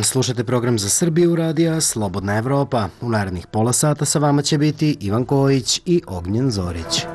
dan, slušate program za Srbiju radija Slobodna Evropa. U narednih pola sata sa vama će biti Ivan Kojić i Ognjen Zorić.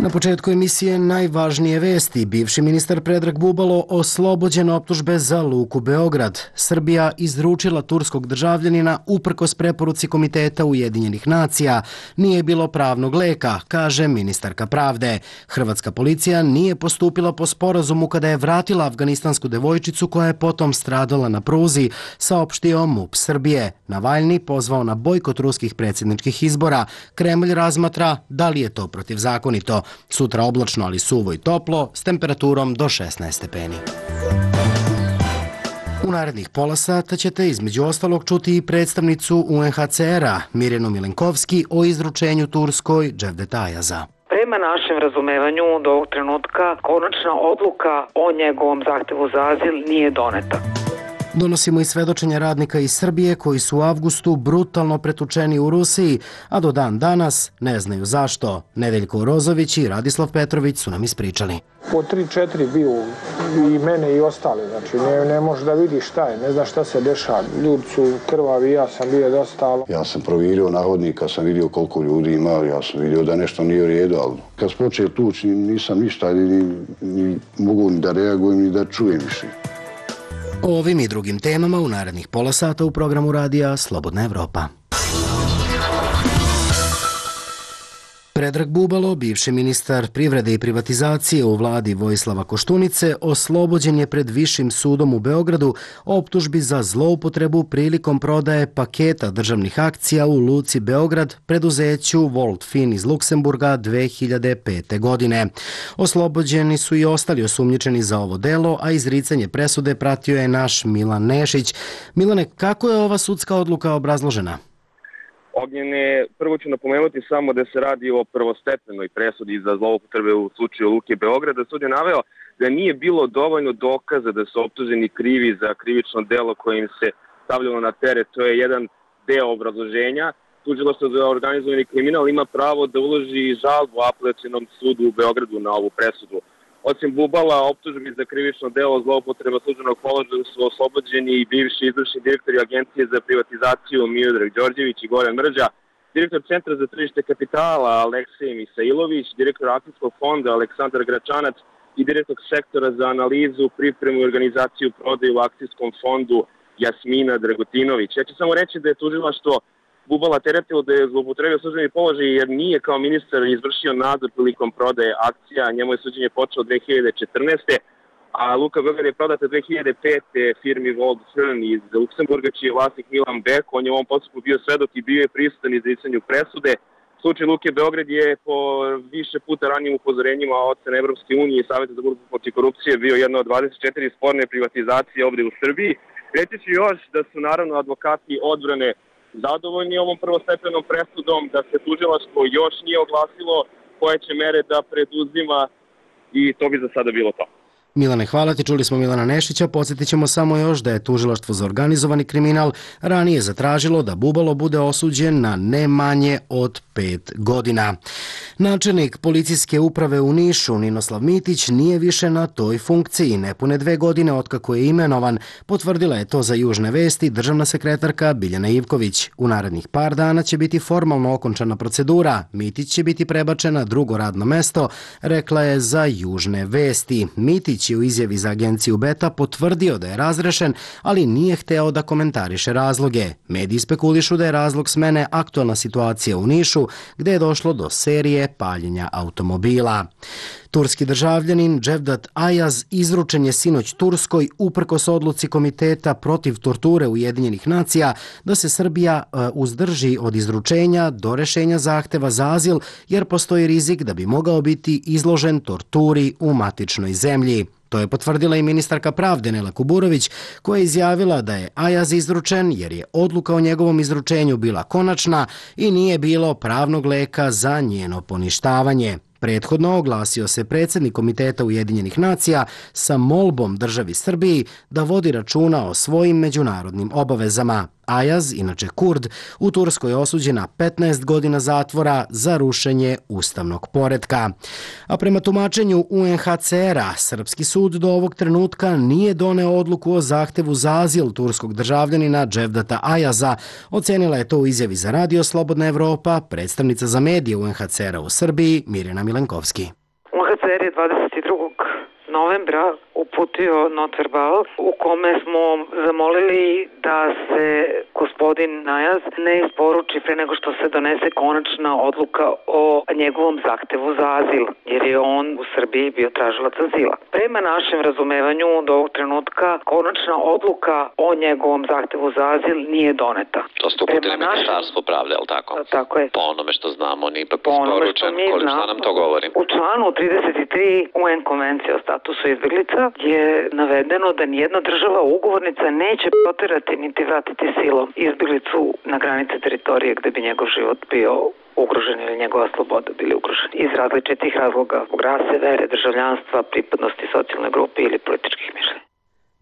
Na početku emisije najvažnije vesti. Bivši ministar Predrag Bubalo oslobođen optužbe za Luku Beograd. Srbija izručila turskog državljanina uprkos preporuci Komiteta Ujedinjenih nacija. Nije bilo pravnog leka, kaže ministarka pravde. Hrvatska policija nije postupila po sporazumu kada je vratila afganistansku devojčicu koja je potom stradala na pruzi, saopštio MUP Srbije. Navalni pozvao na bojkot ruskih predsjedničkih izbora. Kremlj razmatra da li je to protivzakonito. Sutra oblačno, ali suvo i toplo, s temperaturom do 16 stepeni. U narednih pola sata ćete između ostalog čuti i predstavnicu UNHCR-a Mirjanu Milenkovski o izručenju Turskoj Cevdet Ayaza. Prema našem razumevanju do ovog trenutka konačna odluka o njegovom zahtevu za azil nije doneta. Donosimo i svedočenja radnika iz Srbije koji su u avgustu brutalno pretučeni u Rusiji, a do dan danas ne znaju zašto. Nedeljko Rozović i Radislav Petrović su nam ispričali. Po 3-4 bio i mene i ostali, znači ne može da vidi šta je, ne zna šta se dešava. Ljudi su krvavi, ja sam bio dosta. Ja sam provjerio na hodnika, sam vidio koliko ljudi ima, ja sam vidio da nešto nije u redu, ali kad sam počeo tući nisam ništa, ni mogu ni da reagujem, ni da čujem više. O ovim i drugim temama u narednih pola sata u programu radija Slobodna Evropa. Predrag Bubalo, bivši ministar privrede i privatizacije u vladi Vojislava Koštunice, oslobođen je pred Višim sudom u Beogradu optužbi za zloupotrebu prilikom prodaje paketa državnih akcija u Luci Beograd preduzeću Voltfin iz Luksemburga 2005. godine. Oslobođeni su i ostali osumnjičeni za ovo delo, a izricanje presude pratio je naš Milan Nešić. Milane, kako je ova sudska odluka obrazložena? Ognjene, prvo ću napomenuti samo da se radi o prvostepenoj presudi za zloupotrebe u slučaju Luke Beograda. Sud je naveo da nije bilo dovoljno dokaza da su optuženi krivi za krivično delo koje im se stavljalo na teret. To je jedan deo obrazloženja. Tužilaštvo za organizovani kriminal ima pravo da uloži žalbu apelacionom sudu u Beogradu na ovu presudu. Osim Bubala, optužbi za krivično delo zloupotreba službenog položaja su oslobođeni i bivši izvršni direktori Agencije za privatizaciju Miodrag Đorđević i Goran Mrđa, direktor Centra za tržište kapitala Aleksej Misailović, direktor Akcijskog fonda Aleksandar Gračanac i direktor sektora za analizu, pripremu i organizaciju prodaje u Akcijskom fondu Jasmina Dragotinović. Ja ću samo reći da je tužilaštvo Bubala teretilo da je zloupotrebio službeni položaj jer nije kao ministar izvršio nadzor prilikom prodaje akcija. Njemu je suđenje počelo 2014. A Luka Beograd je prodata 2005. firmi Voltfin iz Luksemburga, čiji je vlasnik Milan Bek. On je u ovom postupku bio svedok i bio je prisutan izricanju presude. Slučaj Luke Beograd je po više puta ranijim upozorenjima od strane Evropske unije i Saveta za borbu protiv korupcije bio jedna od 24 sporne privatizacije ovdje u Srbiji. Reći ću još da su naravno advokati odbrane zadovoljni ovom prvostepenom presudom, da se tužilaštvo još nije oglasilo koje će mere da preduzima i to bi za sada bilo to. Milane, hvala ti. Čuli smo Milana Nešića. Podsjetit ćemo samo još da je Tužilaštvo za organizovani kriminal ranije zatražilo da Bubalo bude osuđen na ne manje od 5 godina. Načelnik policijske uprave u Nišu, Ninoslav Mitić, nije više na toj funkciji. Nepune 2 godine otkako je imenovan, potvrdila je to za Južne vesti državna sekretarka Biljana Ivković. U narednih par dana će biti formalno okončana procedura. Mitić će biti prebačen na drugo radno mesto, rekla je za Južne vesti. Mitić je u izjavi za agenciju Beta potvrdio da je razrešen, ali nije hteo da komentariše razloge. Mediji spekulišu da je razlog smene aktualna situacija u Nišu, gde je došlo do serije paljenja automobila. Turski državljanin Cevdet Ayaz izručen je sinoć Turskoj uprkos odluci Komiteta protiv torture Ujedinjenih nacija da se Srbija uzdrži od izručenja do rešenja zahteva za azil jer postoji rizik da bi mogao biti izložen torturi u matičnoj zemlji. To je potvrdila i ministarka pravde Nela Kuburović, koja je izjavila da je Ayaz izručen jer je odluka o njegovom izručenju bila konačna i nije bilo pravnog leka za njeno poništavanje. Prethodno oglasio se predsjednik Komiteta Ujedinjenih nacija sa molbom državi Srbiji da vodi računa o svojim međunarodnim obavezama. Ayaz, inače Kurd, u Turskoj je osuđen na 15 godina zatvora za rušenje ustavnog poretka. A prema tumačenju UNHCR-a, srpski sud do ovog trenutka nije doneo odluku o zahtevu za azil turskog državljanina Cevdeta Ayaza. Ocenila je to u izjavi za Radio Slobodna Evropa predstavnica za medije UNHCR-a u Srbiji Mirjana Milenkovski. UNHCR je 22. novembra uputio notverbal u kome smo zamolili da se gospodin Ayaz ne isporuči pre nego što se donese konačna odluka o njegovom zahtevu za azil, jer je on u Srbiji bio tražilac azila. Prema našem razumevanju do ovog trenutka konačna odluka o njegovom zahtevu za azil nije doneta. To ste uputili Ministarstvo pravde, je li tako? Tako je. Po onome što znamo, on je ipak isporučen. Šta nam to govori? U članu 33 UN konvencije o statusu izbeglica je navedeno da nijedna država ugovornica neće proterati niti vratiti silom izbeglicu na granice teritorije gde bi njegov život bio ugrožen ili njegova sloboda bili ugroženi iz različitih razloga, zbog rase, vere, državljanstva, pripadnosti socijalne grupe ili političkih mišljenja.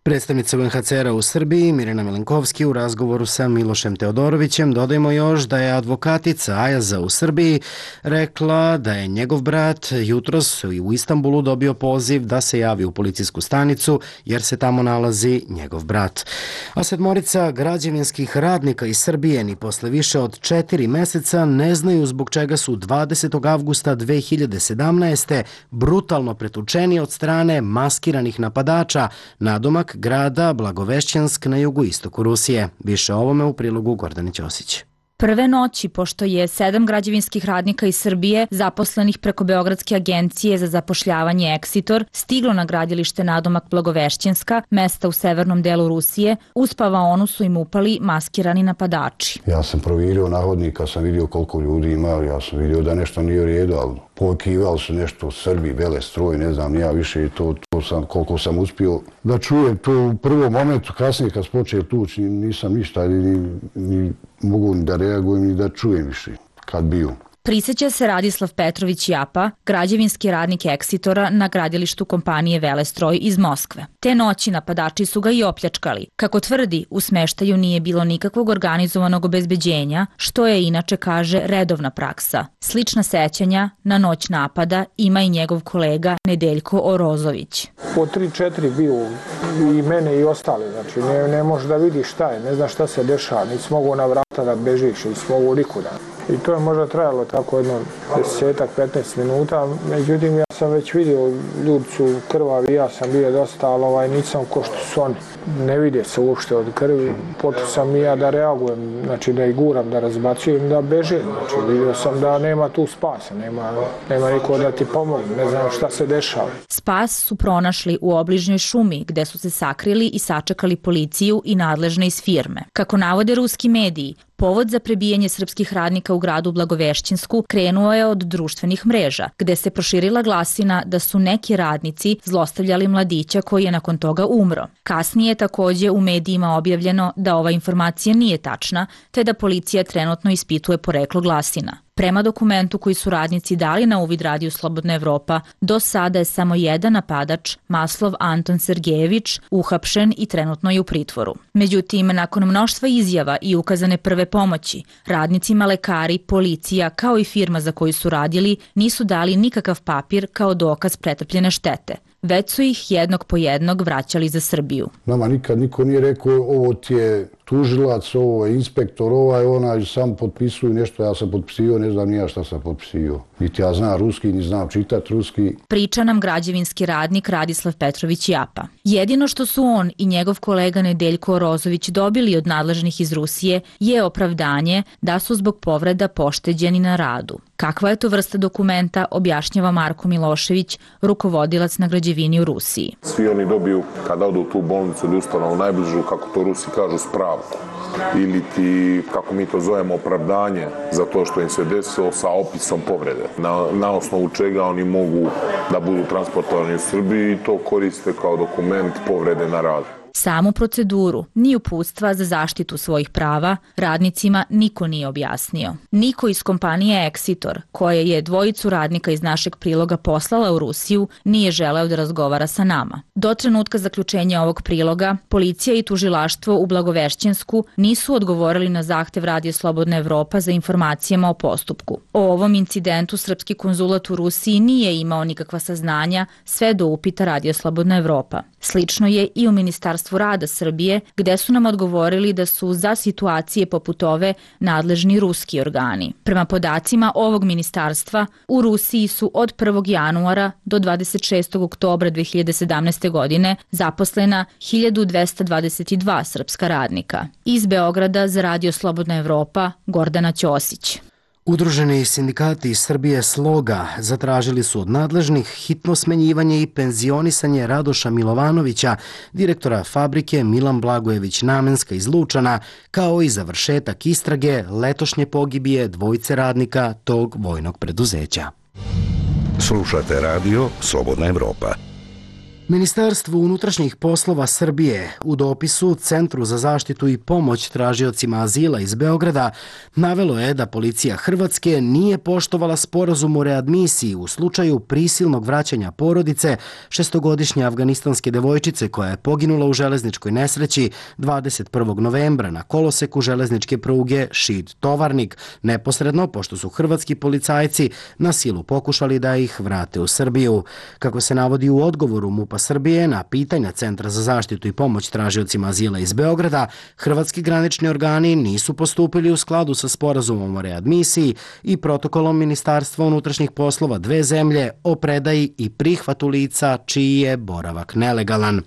Predstavnica UNHCR-a u Srbiji, Mirjana Milenkovski, u razgovoru sa Milošem Teodorovićem, dodajmo još da je advokatica Ayaza u Srbiji rekla da je njegov brat jutros u Istanbulu dobio poziv da se javi u policijsku stanicu jer se tamo nalazi njegov brat. A 7 građevinskih radnika iz Srbije ni posle više od 4 meseca ne znaju zbog čega su 20. avgusta 2017. brutalno pretučeni od strane maskiranih napadača nadomak grada Blagovešćansk na jugoistoku Rusije. Više o ovome u prilogu Gordane Ćosić. Prve noći, pošto je 7 građevinskih radnika iz Srbije, zaposlenih preko Beogradske agencije za zapošljavanje Eksitor, stiglo na gradilište nadomak Blagovešćanska, mesta u severnom delu Rusije, uz spavaonu su im upali maskirani napadači. Ja sam provjerio na hodnika, sam vidio koliko ljudi ima, ja sam vidio da nešto nije u redu, ali pokivali su nešto Srbi, vele stroj, ne znam, ja više i to sam, koliko sam uspio da čujem to u prvom momentu, kasnije kad počeo tući, nisam ništa, ni mogu ni da reagujem, ni da čujem više kad bio. Prisjeća se Radislav Petrović Japa, građevinski radnik Eksitora na gradilištu kompanije Velestroj iz Moskve. Te noći napadači su ga i opljačkali. Kako tvrdi, u smeštaju nije bilo nikakvog organizovanog obezbeđenja, što je inače, kaže, redovna praksa. Slična sećanja na noć napada ima i njegov kolega Nedeljko Orozović. Po 3-4 bio i mene i ostali, znači ne možeš da vidiš šta je, ne znaš šta se dešava, nisi mogu na vrata da bežiš, nisi mogu nikuda. I to je možda trajalo tako jedno 10-15 minuta, međutim ja sam već vidio, ljudi su krvavi, ja sam bio dosta, ali nisam ko što su oni. Ne vide se uopšte od krvi, počeo sam i ja da reagujem, znači da ih guram, da razbacujem, da bežim. Znači vidio sam da nema tu spasa, nema niko da ti pomogne, ne znam šta se dešava. Spas su pronašli u obližnjoj šumi, gde su se sakrili i sačekali policiju i nadležne iz firme. Kako navode ruski mediji, povod za prebijanje srpskih radnika u gradu Blagovešćansku krenuo je od društvenih mreža, gde se proširila glasina da su neki radnici zlostavljali mladića koji je nakon toga umro. Kasnije je takođe u medijima objavljeno da ova informacija nije tačna, te da policija trenutno ispituje poreklo glasina. Prema dokumentu koji su radnici dali na uvid Radiju Slobodna Evropa, do sada je samo jedan napadač, Maslov Anton Sergejević, uhapšen i trenutno je u pritvoru. Međutim, nakon mnoštva izjava i ukazane prve pomoći, radnicima, lekari, policija, kao i firma za koju su radili, nisu dali nikakav papir kao dokaz pretrpljene štete. Već su ih jednog po jednog vraćali za Srbiju. Nama nikad niko nije rekao ovo ti je tužilac, ovo je inspektor, onaj sam potpisuju nešto, ja sam potpisio, ne znam nija šta sam potpisio. Niti ja znam ruski, ni znam čitat ruski. Priča nam građevinski radnik Radislav Petrović Japa. Jedino što su on i njegov kolega Nedeljko Orozović dobili od nadležnih iz Rusije je opravdanje da su zbog povreda pošteđeni na radu. Kakva je to vrsta dokumenta, objašnjava Marko Milošević, rukovodilac na građevini u Rusiji. Svi oni dobiju, kada odu u tu bolnicu ili ustanovu najbližu, kako to Rusi kažu, spravku. Ili ti, kako mi to zovemo, opravdanje za to što im se desilo sa opisom povrede. Na osnovu čega oni mogu da budu transportovani u Srbiji i to koriste kao dokument povrede na radu. Samu proceduru, ni uputstva za zaštitu svojih prava, radnicima niko nije objasnio. Niko iz kompanije Exitor, koja je dvojicu radnika iz našeg priloga poslala u Rusiju, nije želeo da razgovara sa nama. Do trenutka zaključenja ovog priloga, policija i tužilaštvo u Blagovešćensku nisu odgovorili na zahtev Radio Slobodna Evropa za informacijama o postupku. O ovom incidentu srpski konzulat u Rusiji nije imao nikakva saznanja sve do upita Radio Slobodna Evropa. Slično je i u Ministarstvu rada Srbije, gde su nam odgovorili da su za situacije poput ove nadležni ruski organi. Prema podacima ovog ministarstva, u Rusiji su od 1. januara do 26. oktobra 2017. godine zaposlena 1222 srpska radnika. Iz Beograda za Radio Slobodna Evropa, Gordana Ćosić. Udruženi sindikati iz Srbije Sloga zatražili su od nadležnih hitno smenjivanje i penzionisanje Radoša Milovanovića, direktora fabrike Milan Blagojević Namenska iz Lučana, kao i završetak istrage letošnje pogibije dvojice radnika tog vojnog preduzeća. Slušate radio Slobodna Evropa. Ministarstvo unutrašnjih poslova Srbije u dopisu Centru za zaštitu i pomoć tražiocima azila iz Beograda navelo je da policija Hrvatske nije poštovala sporazum o readmisiji u slučaju prisilnog vraćanja porodice šestogodišnje afganistanske devojčice koja je poginula u železničkoj nesreći 21. novembra na koloseku železničke pruge Šid-Tovarnik, neposredno pošto su hrvatski policajci na silu pokušali da ih vrate u Srbiju. Kako se navodi u odgovoru MUP-a Srbije na pitanja Centra za zaštitu i pomoć tražiocima azila iz Beograda, hrvatski granični organi nisu postupili u skladu sa sporazumom o readmisiji i protokolom Ministarstva unutrašnjih poslova dve zemlje o predaji i prihvatu lica čiji je boravak nelegalan.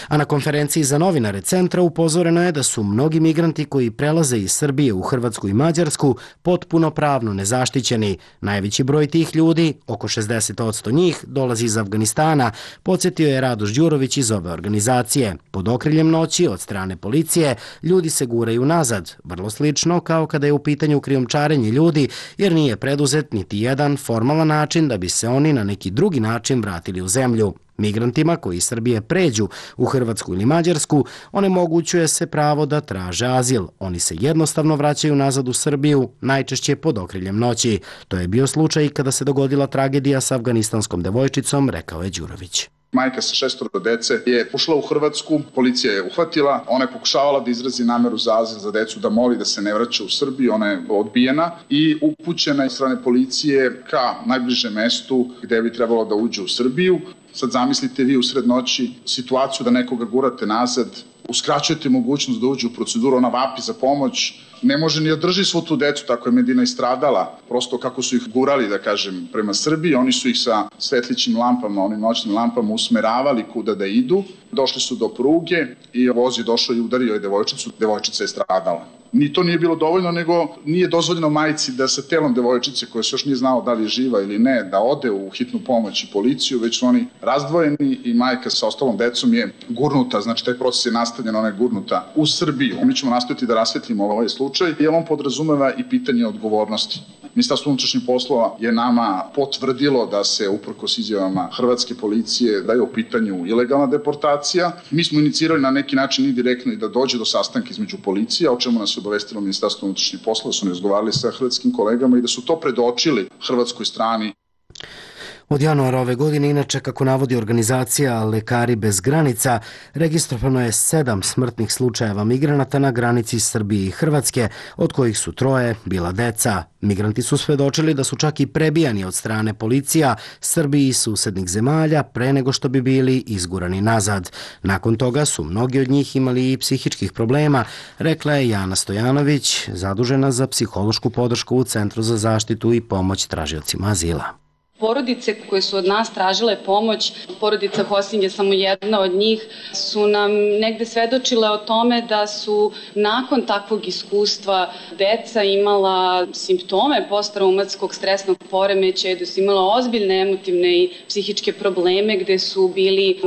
A na konferenciji za novinare centra upozoreno je da su mnogi migranti koji prelaze iz Srbije u Hrvatsku i Mađarsku potpuno pravno nezaštićeni. Najveći broj tih ljudi, oko 60% njih, dolazi iz Afganistana, podsjetio je Radoš Đurović iz ove organizacije. Pod okriljem noći od strane policije ljudi se guraju nazad, vrlo slično kao kada je u pitanju krijumčarenje ljudi, jer nije preduzet niti jedan formalan način da bi se oni na neki drugi način vratili u zemlju. Migrantima koji iz Srbije pređu u Hrvatsku ili Mađarsku onemogućuje se pravo da traže azil. Oni se jednostavno vraćaju nazad u Srbiju, najčešće pod okriljem noći. To je bio slučaj kada se dogodila tragedija sa afganistanskom devojčicom, rekao je Đurović. Majka sa 6 dece je ušla u Hrvatsku, policija je uhvatila, ona je pokušavala da izrazi nameru za azil za decu, da moli da se ne vraća u Srbiju, ona je odbijena i upućena iz strane policije ka najbližem mestu gde bi trebalo da uđe u Srbiju. Sad zamislite vi usred noći situaciju da nekoga gurate nazad, uskraćujete mogućnost da uđe u proceduru, ona vapi za pomoć, ne može ni da drži svu tu decu, tako je Medina istradala, prosto kako su ih gurali, da kažem, prema Srbiji, oni su ih sa svetlićim lampama, onim noćnim lampama usmeravali kuda da idu, došli su do pruge i voz je došao i udario je devojčicu, devojčica je stradala. Ni to nije bilo dovoljno, nego nije dozvoljeno majici da sa telom devojčice, koja se još nije znao da li je živa ili ne, da ode u hitnu pomoć i policiju, već su oni razdvojeni i majka sa ostalom decom je gurnuta, znači taj proces je nastavljen, ona je gurnuta u Srbiju. Mi ćemo nastaviti da rasvetlimo ovaj slučaj, jer on podrazumeva i pitanje odgovornosti. Ministarstvo unutrašnjih poslova je nama potvrdilo da se uprkos izjavama hrvatske policije da je u pitanju ilegalna deportacija. Mi smo inicirali na neki način indirektno i da dođe do sastanka između policija, o čemu nas je obavestilo Ministarstvo unutrašnjih poslova, da su razgovarali sa hrvatskim kolegama i da su to predočili hrvatskoj strani. Od januara ove godine, inače, kako navodi organizacija Lekari bez granica, registrovano je 7 smrtnih slučajeva migranata na granici Srbije i Hrvatske, od kojih su 3 bila deca. Migranti su svedočili da su čak i prebijani od strane policija Srbiji i susednih zemalja pre nego što bi bili izgurani nazad. Nakon toga su mnogi od njih imali i psihičkih problema, rekla je Jana Stojanović, zadužena za psihološku podršku u Centru za zaštitu i pomoć tražiocima azila. Porodice koje su od nas tražile pomoć, porodica Hosing je samo jedna od njih, su nam negde svedočile o tome da su nakon takvog iskustva deca imala simptome posttraumatskog stresnog poremećaja, da su imala ozbiljne emotivne i psihičke probleme, gde su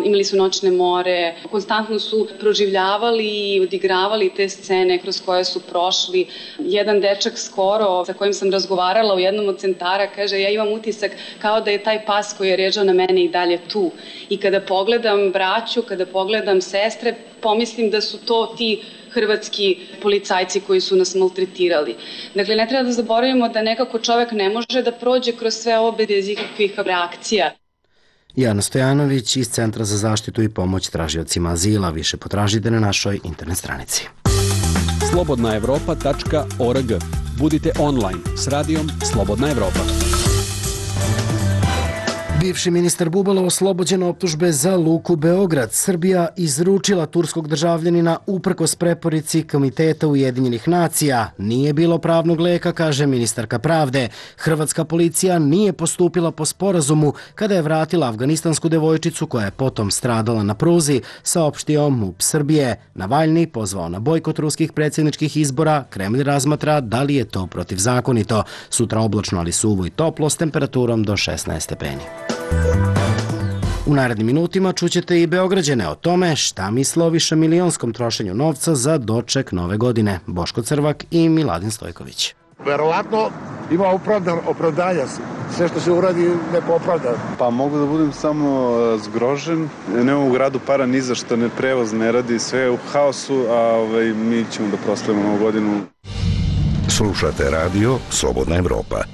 imali su noćne more, konstantno su proživljavali i odigravali te scene kroz koje su prošli. Jedan dečak skoro, sa kojim sam razgovarala u jednom od centara, kaže, ja imam utisak kao da je taj pas koji je ređao na mene i dalje tu. I kada pogledam braću, kada pogledam sestre, pomislim da su to ti hrvatski policajci koji su nas maltretirali. Dakle, ne treba da zaboravimo da nekako čovek ne može da prođe kroz sve ovo bez ikakvih reakcija. Jana Stojanović iz Centra za zaštitu i pomoć tražiocima azila. Više potražite na našoj internet stranici. slobodnaevropa.org. Budite online s radijom Slobodna Evropa. Bivši ministar Bubalo oslobođen optužbe za Luku Beograd. Srbija izručila turskog državljanina uprkos preporici Komiteta Ujedinjenih nacija. Nije bilo pravnog leka, kaže ministarka pravde. Hrvatska policija nije postupila po sporazumu kada je vratila afganistansku devojčicu koja je potom stradala na pruzi, saopštio MUP Srbije. Navalni pozvao na bojkot ruskih predsjedničkih izbora. Kremlj razmatra da li je to protivzakonito. Sutra oblačno, ali suvo i toplo s temperaturom do 16 stepeni. U narednim minutima čućete i Beograđane o tome šta misle o višemilijonskom trošenju novca za doček nove godine. Boško Crvak i Miladin Stojković. Verovatno ima opravdanja. Sve što se uradi neko opravda. Pa mogu da budem samo zgrožen. Nemamo u gradu para ni za što, prevoz ne radi, sve je u haosu, a mi ćemo da proslavimo novu godinu. Slušate radio Slobodna Evropa.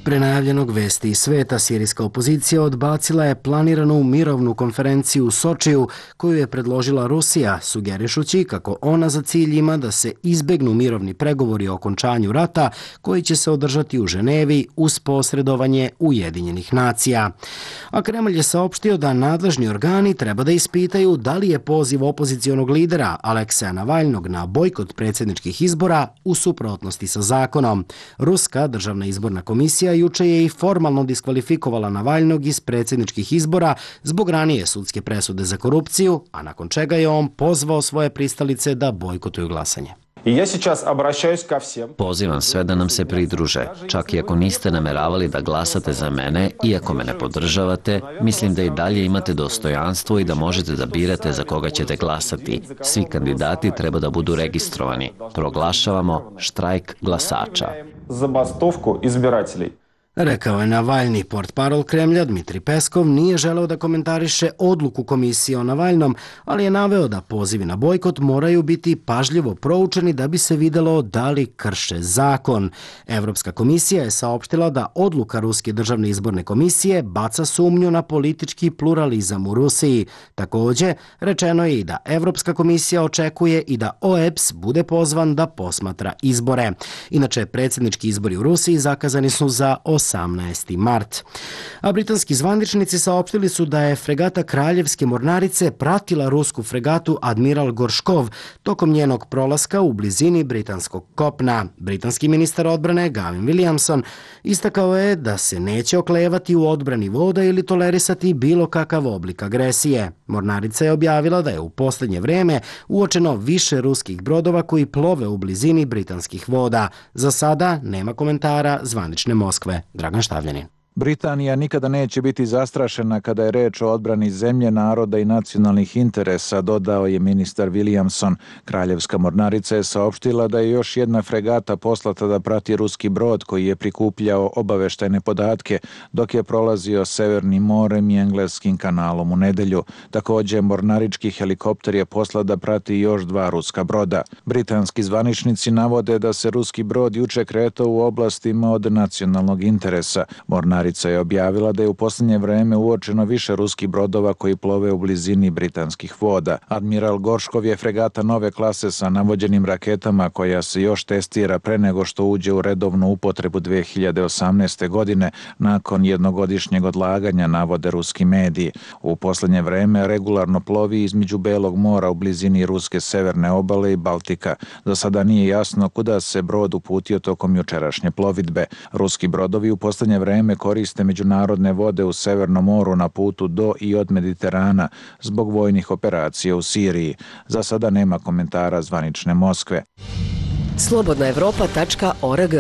Pre najavljenog vesti iz sveta, sirijska opozicija odbacila je planiranu mirovnu konferenciju u Sočiju koju je predložila Rusija, sugerišući kako ona za cilj ima da se izbegnu mirovni pregovori o okončanju rata koji će se održati u Ženevi uz posredovanje Ujedinjenih nacija. A Kremlj je saopštio da nadležni organi treba da ispitaju da li je poziv opozicionog lidera Alekseja Navalnog na bojkot predsjedničkih izbora u suprotnosti sa zakonom. Ruska državna izborna komisija juče je i formalno diskvalifikovala Navalnog iz predsjedničkih izbora zbog ranije sudske presude za korupciju, a nakon čega je on pozvao svoje pristalice da bojkotuju glasanje. Pozivam sve da nam se pridruže. Čak i ako niste nameravali da glasate za mene, iako me ne podržavate, mislim da i dalje imate dostojanstvo i da možete da birate za koga ćete glasati. Svi kandidati treba da budu registrovani. Proglašavamo štrajk glasača. Rekao je Navalni. Portparol Kremlja Dmitri Peskov nije želeo da komentariše odluku komisije o Navalnom, ali je naveo da pozivi na bojkot moraju biti pažljivo proučeni da bi se videlo da li krše zakon. Evropska komisija je saopštila da odluka Ruske državne izborne komisije baca sumnju na politički pluralizam u Rusiji. Također, rečeno je i da Evropska komisija očekuje i da OEBS bude pozvan da posmatra izbore. Inače, predsjednički izbori u Rusiji zakazani su za 18. mart. A britanski zvaničnici saopštili su da je fregata Kraljevske mornarice pratila rusku fregatu Admiral Gorškov tokom njenog prolaska u blizini britanskog kopna. Britanski ministar odbrane Gavin Williamson istakao je da se neće oklevati u odbrani voda ili tolerisati bilo kakav oblik agresije. Mornarica je objavila da je u posljednje vrijeme uočeno više ruskih brodova koji plove u blizini britanskih voda. Za sada nema komentara zvanične Moskve. Dragan Štavljanin. Britanija nikada neće biti zastrašena kada je reč o odbrani zemlje, naroda i nacionalnih interesa, dodao je ministar Williamson. Kraljevska mornarica je saopštila da je još jedna fregata poslata da prati ruski brod koji je prikupljao obaveštajne podatke dok je prolazio Severnim morem i Engleskim kanalom u nedelju. Također, mornarički helikopter je poslat da prati još 2 ruska broda. Britanski zvaničnici navode da se ruski brod juče kretao u oblastima od nacionalnog interesa. Mornarica je objavila da je u posljednje vreme uočeno više ruskih brodova koji plove u blizini britanskih voda. Admiral Gorškov je fregata nove klase sa navođenim raketama koja se još testira pre nego što uđe u redovnu upotrebu 2018. godine nakon jednogodišnjeg odlaganja, navode ruski mediji. U posljednje vreme regularno plovi između Belog mora u blizini ruske severne obale i Baltika. Do sada nije jasno kuda se brod uputio tokom jučerašnje plovidbe. Ruski brodovi u posljednje vreme koriste međunarodne vode u Severnom moru na putu do i od Mediterana zbog vojnih operacija u Siriji. Za sada nema komentara zvanične Moskve. slobodnaevropa.org.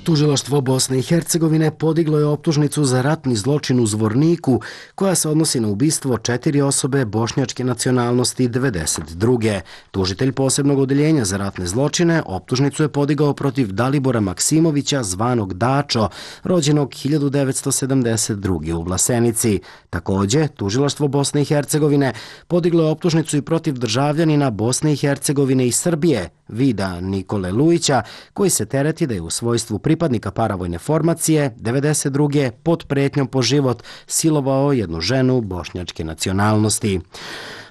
Tužilaštvo Bosne i Hercegovine podiglo je optužnicu za ratni zločin u Zvorniku, koja se odnosi na ubistvo 4 osobe bošnjačke nacionalnosti 1992. Tužitelj posebnog odeljenja za ratne zločine optužnicu je podigao protiv Dalibora Maksimovića, zvanog Dačo, rođenog 1972. u Vlasenici. Takođe, Tužilaštvo Bosne i Hercegovine podiglo je optužnicu i protiv državljanina Bosne i Hercegovine i Srbije, Vida Nikole Lujića, koji se tereti da je u svojstvu pripadnika paravojne formacije 1992. pod pretnjom po život silovao jednu ženu bošnjačke nacionalnosti.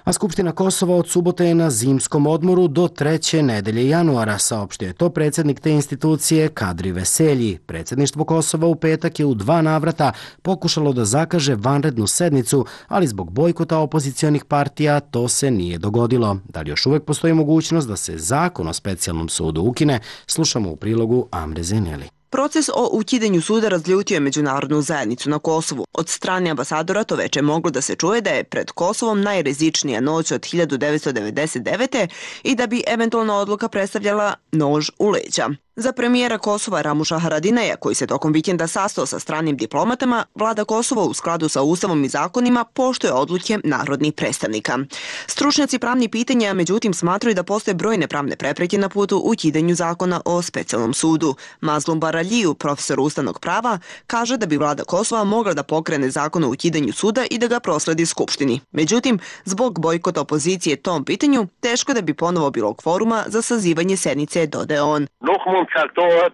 A Skupština Kosova od subote je na zimskom odmoru do 3. nedelje januara, saopštio je to predsjednik te institucije Kadri Veselji. Predsjedništvo Kosova u petak je u 2 navrata pokušalo da zakaže vanrednu sednicu, ali zbog bojkota opozicionih partija to se nije dogodilo. Da li još uvek postoji mogućnost da se zakon o specijalnom sudu ukine, slušamo u prilogu Amre Zeneli. Proces o ukidanju suda razljutio je međunarodnu zajednicu na Kosovu. Od strane ambasadora to veče moglo da se čuje da je pred Kosovom najrizičnija noć od 1999. i da bi eventualna odluka predstavljala nož u leđa. Za premijera Kosova Ramuša Haradinaja, koji se tokom vikenda sastao sa stranim diplomatama, vlada Kosova u skladu sa ustavom i zakonima poštuje odluke narodnih predstavnika. Stručnjaci pravnih pitanja, međutim, smatraju da postoje brojne pravne prepreke na putu ukidanju zakona o specijalnom sudu. Mazlum Baraliju, profesor ustavnog prava, kaže da bi vlada Kosova mogla da pokrene zakon o ukidanju suda i da ga prosledi Skupštini. Međutim, zbog bojkota opozicije tom pitanju, teško da bi ponovo bilo kvoruma za sazivanje sednice, dodaje on.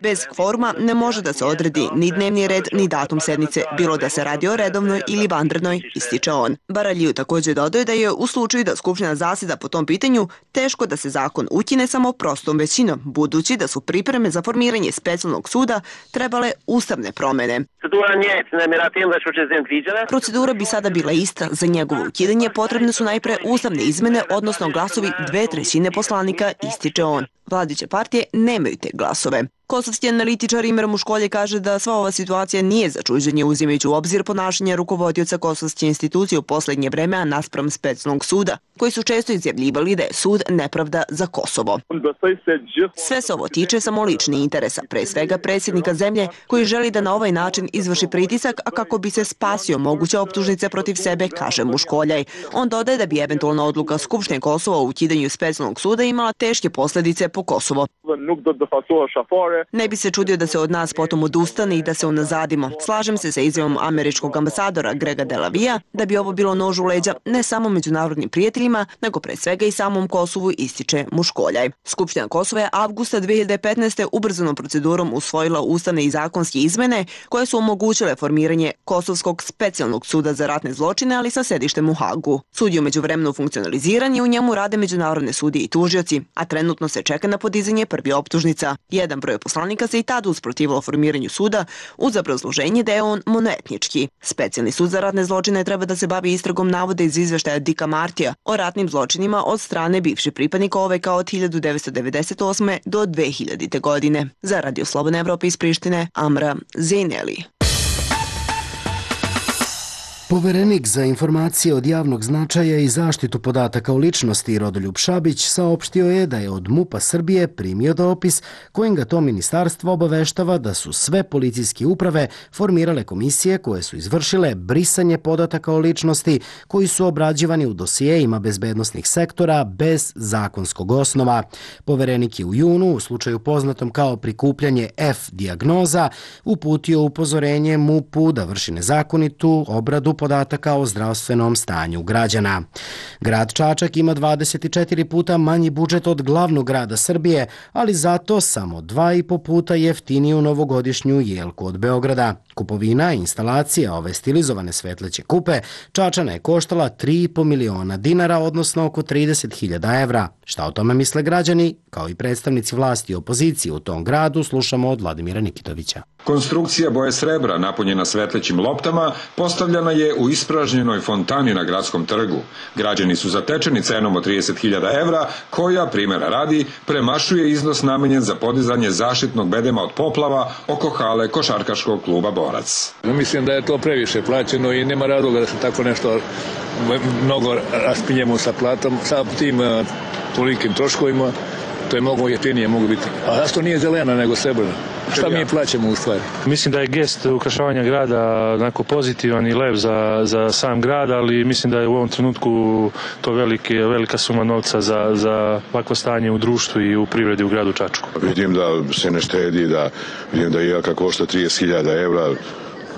Bez kvoruma ne može da se odredi ni dnevni red, ni datum sednice, bilo da se radi o redovnoj ili vanrednoj, ističe on. Baraliju također dodaje da je u slučaju da Skupština zaseda po tom pitanju teško da se zakon ukine samo prostom većinom, budući da su pripreme za formiranje specijalnog suda trebale ustavne promene. Procedura bi sada bila ista. Za njegovo ukidanje potrebne su najpre ustavne izmene, odnosno glasovi 2/3 poslanika, ističe on. Vladajuće partije nemaju te glasove. Kosovski analitičar Imer Muškolje kaže da sva ova situacija nije za čuđenje, uzimajući u obzir ponašanje rukovodioca kosovske institucije u poslednje vreme, a naspram specijalnog suda, koji su često izjavljivali da je sud nepravda za Kosovo. Sve se ovo tiče samo ličnih interesa, pre svega predsjednika zemlje, koji želi da na ovaj način izvrši pritisak, a kako bi se spasio moguće optužnice protiv sebe, kaže Muškoljaj. On dodaje da bi eventualna odluka Skupštine Kosova o ukidanju specijalnog suda imala teške posljedice po Kosovo. Ne bi se čudio da se od nas potom odustane i da se unazadimo. Slažem se sa izjavom američkog ambasadora Grega Delavija da bi ovo bilo nož u leđa ne samo međunarodnim prijateljima, nego pre svega i samom Kosovu, ističe Muškoljaj. Skupština Kosova je avgusta 2015. ubrzanom procedurom usvojila ustavne i zakonske izmene koje su omogućile formiranje Kosovskog specijalnog suda za ratne zločine, ali sa sedištem u Hagu. Sud je umeđuvremenu funkcionaliziran i u njemu rade međunarodne sudije i tužioci, a trenutno se čeka na podizanje prvi optužnica. Jedan broj poslanika se i tada usprotivilo formiranju suda uz obrazloženje da je on monoetnički. Specijalni sud za ratne zločine treba da se bavi istragom navoda iz izveštaja Dika Martija o ratnim zločinima od strane bivših pripadnika OVK od 1998. do 2000. godine. Za Radio Slobodne Evrope iz Prištine, Amra Zeneli. Poverenik za informacije od javnog značaja i zaštitu podataka o ličnosti Rodoljub Šabić saopštio je da je od MUP-a Srbije primio dopis kojim ga to ministarstvo obaveštava da su sve policijske uprave formirale komisije koje su izvršile brisanje podataka o ličnosti koji su obrađivani u dosijejima bezbednosnih sektora bez zakonskog osnova. Poverenik je u junu, u slučaju poznatom kao prikupljanje F dijagnoza, uputio upozorenje MUP-u da vrši nezakonitu obradu podataka o zdravstvenom stanju građana. Grad Čačak ima 24 puta manji budžet od glavnog grada Srbije, ali zato samo 2,5 puta jeftiniju novogodišnju jelku od Beograda. Kupovina i instalacija ove stilizovane svetleće kupe Čačana je koštala 3,5 miliona dinara, odnosno oko 30.000 evra. Šta o tome misle građani, kao i predstavnici vlasti i opozicije u tom gradu, slušamo od Vladimira Nikitovića. Konstrukcija boje srebra napunjena svetlećim loptama postavljena je u ispražnjenoj fontani na gradskom trgu. Građani su zatečeni cenom od 30.000 evra, koja, primjera radi, premašuje iznos namenjen za podizanje zaštitnog bedema od poplava oko hale košarkaškog kluba Borac. Mislim da je to previše plaćeno i nema razloga da se tako nešto mnogo raspinjemo sa platom, sa tim tolikim troškovima. To je mnogo jeftinije mogu biti. A zašto nije zelena nego srebrna? Šta mi plaćamo u stvari? Mislim da je gest ukrašavanja grada onako pozitivan i lep za sam grad, ali mislim da je u ovom trenutku to velika suma novca za ovakvo stanje u društvu i u privredi u gradu Čačku. Vidim da se ne štedi, vidim da Jelka košta 30.000 evra.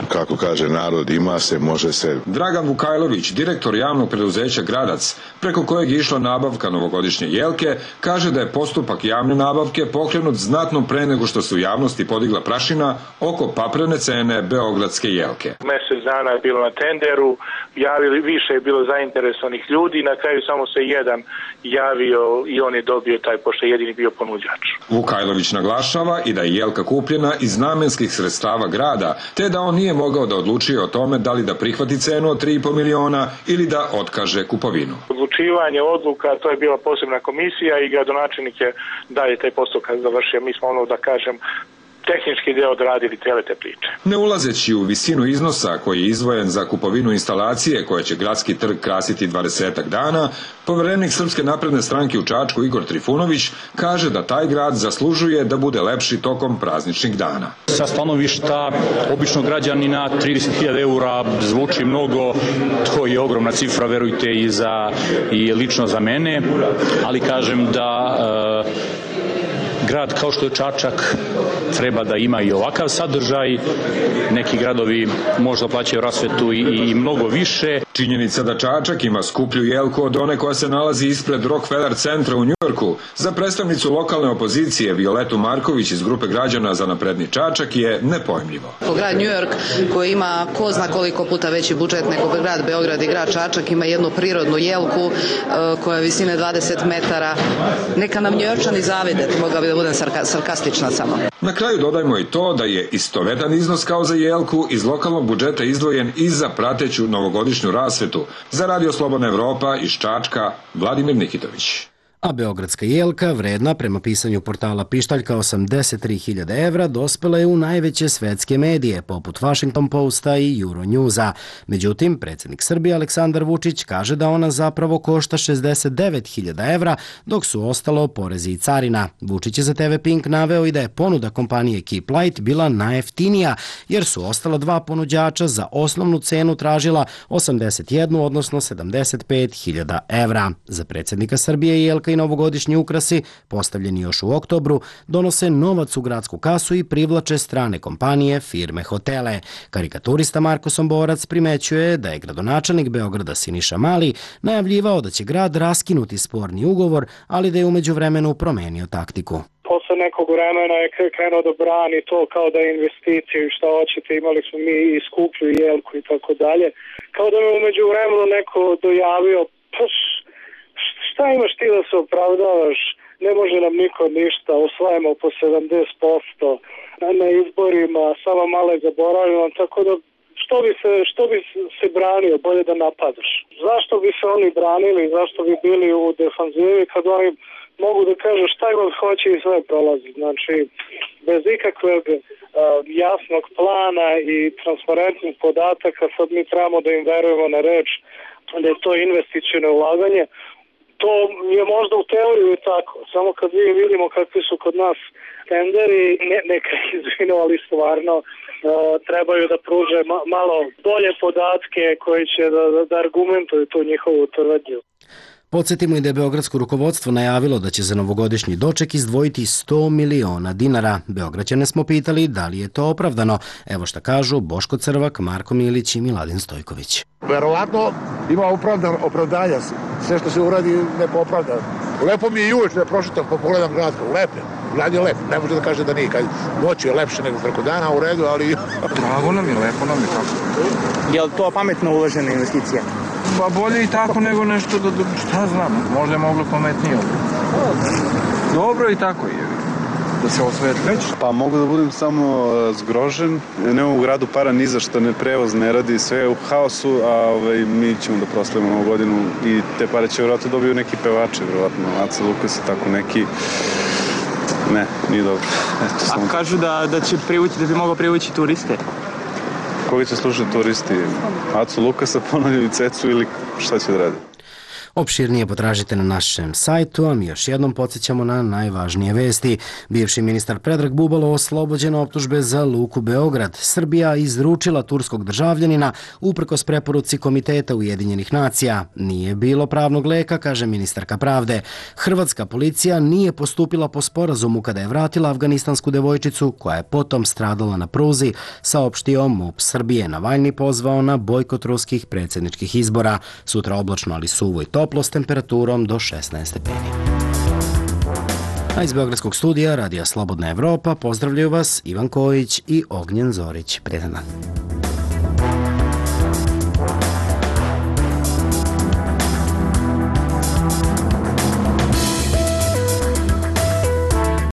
Kako kaže narod, ima se, može se. Dragan Vukajlović, direktor javnog preduzeća Gradac, preko kojeg je išla nabavka novogodišnje jelke, kaže da je postupak javne nabavke pokrenut znatno pre nego što se u javnosti podigla prašina oko paprene cene beogradske jelke. Mesec dana je bilo na tenderu, više je bilo zainteresovanih ljudi, na kraju samo se jedan javio i on je dobio taj, pošto je jedini bio ponuđač. Vukajlović naglašava i da je jelka kupljena iz namenskih sredstava grada, te da on nije mogao da odlučuje o tome da li da prihvati cenu od 3,5 miliona ili da otkaže kupovinu. Odlučivanje odluka, to je bila posebna komisija i gradonačelnik je dalje taj postupak završio. Mi smo da kažem, tehnički deo odradili cele te priče. Ne ulazeći u visinu iznosa koji je izdvojen za kupovinu instalacije koje će gradski trg krasiti 20 dana, poverenik Srpske napredne stranke u Čačku Igor Trifunović kaže da taj grad zaslužuje da bude lepši tokom prazničnih dana. Sa stanovišta običnog građanina 30.000 eura zvuči mnogo, to je ogromna cifra, verujte, i lično za mene, ali kažem da grad kao što je Čačak treba da ima i ovakav sadržaj. Neki gradovi možda plaćaju rasvetu i mnogo više. Činjenica da Čačak ima skuplju jelku od one koja se nalazi ispred Rockefeller centra u Njujorku za predstavnicu lokalne opozicije Violetu Marković iz grupe građana za napredni Čačak je nepojmljivo. Grad Njujork koji ima ko zna koliko puta veći budžet nego grad Beograd i grad Čačak ima jednu prirodnu jelku koja je visine 20 metara. Neka nam Njujorčani zavide, mogla bi da budem sarkastična samo. Na kraju dodajmo i to da je istovetan iznos kao za jelku iz lokalnog budžeta izdvojen i za prateću novogodišnju rasvetu. Za Radio Slobodna Evropa iz Čačka, Vladimir Nikitović. A beogradska jelka, vredna prema pisanju portala Pištaljka 83.000 evra, dospela je u najveće svetske medije, poput Washington Posta i Euronewsa. Međutim, predsjednik Srbije Aleksandar Vučić kaže da ona zapravo košta 69.000 evra, dok su ostalo porezi i carina. Vučić je za TV Pink naveo i da je ponuda kompanije Keep Light bila najjeftinija, jer su ostala dva ponuđača za osnovnu cenu tražila 81, odnosno 75.000 evra. Za predsjednika Srbije jelka i novogodišnji ukrasi, postavljeni još u oktobru, donose novac u gradsku kasu i privlače strane kompanije, firme, hotele. Karikaturista Marko Somborac primećuje da je gradonačelnik Beograda Siniša Mali najavljivao da će grad raskinuti sporni ugovor, ali da je u međuvremenu promenio taktiku. Posle nekog vremena je krenuo da brani to kao da je investiciju i šta hoćete, imali smo mi i skuplju jelku i tako dalje. Kao da me u međuvremenu neko dojavio, šta imaš ti da se opravdavaš, ne može nam niko ništa, osvajamo po 70% na izborima, samo malo zaboravimo, tako da što bi se branio, bolje da napadaš. Zašto bi se oni branili, zašto bi bili u defanzivi kad oni mogu da kažu šta god hoće i sve prolazi. Znači, bez ikakvog jasnog plana i transparentnih podataka sad mi trebamo da im verujemo na reč da je to investiciono ulaganje. To je možda u teoriju tako, samo kad vidimo kakvi su kod nas tenderi, neka izvinu, ali stvarno trebaju da pruže malo bolje podatke koji će da argumentuju tu njihovu tvrdnju. Podsjetimo i da je beogradsko rukovodstvo najavilo da će za novogodišnji doček izdvojiti 100 miliona dinara. Beograđane smo pitali da li je to opravdano. Evo šta kažu Boško Crvak, Marko Milić i Miladin Stojković. Verovatno ima opravdanja. Sve što se uradi ne popravda. Lepo mi je i uvijek da prošitam, pa pogledam grad. Grad je lep, ne može da kaže da nije. Noć je lepše nego preko dana, u redu, ali... Drago nam je, lepo nam je tako. Je li to pametno uložena investicija? Pa bolje i tako nego nešto da, šta znam, možda je moglo pametnije. Dobro i tako je, da se osvetli. Pa mogu da budem samo zgrožen, nema u gradu para ni za što, ne prevoz ne radi, sve je u haosu, a mi ćemo da proslavimo novu godinu i te pare će vjerojatno dobiju neki pevači, vjerojatno Aca Lukas i tako neki. Ne, nije dobro. A kažu da će privući, da bi mogao privući turiste? Koga će slušati turisti? Acu Lukasa, ponavljaju Cecu ili šta će da radi? Opširnije potražite na našem sajtu, a mi još jednom podsjećamo na najvažnije vesti. Bivši ministar Predrag Bubalo oslobođen optužbe za Luku Beograd. Srbija izručila turskog državljanina uprkos preporuci Komiteta Ujedinjenih nacija. Nije bilo pravnog leka, kaže ministarka pravde. Hrvatska policija nije postupila po sporazumu kada je vratila afganistansku devojčicu koja je potom stradala na pruzi, saopštio MUP Srbije. Navalni pozvao na bojkot ruskih predsjedničkih izbora. Sutra oblačno, ali suvo i toplo s temperaturom do 16 stepeni. A iz Beogradskog studija Radija Slobodna Evropa pozdravljaju vas Ivan Kojić i Ognjen Zorić. Prijetan dan.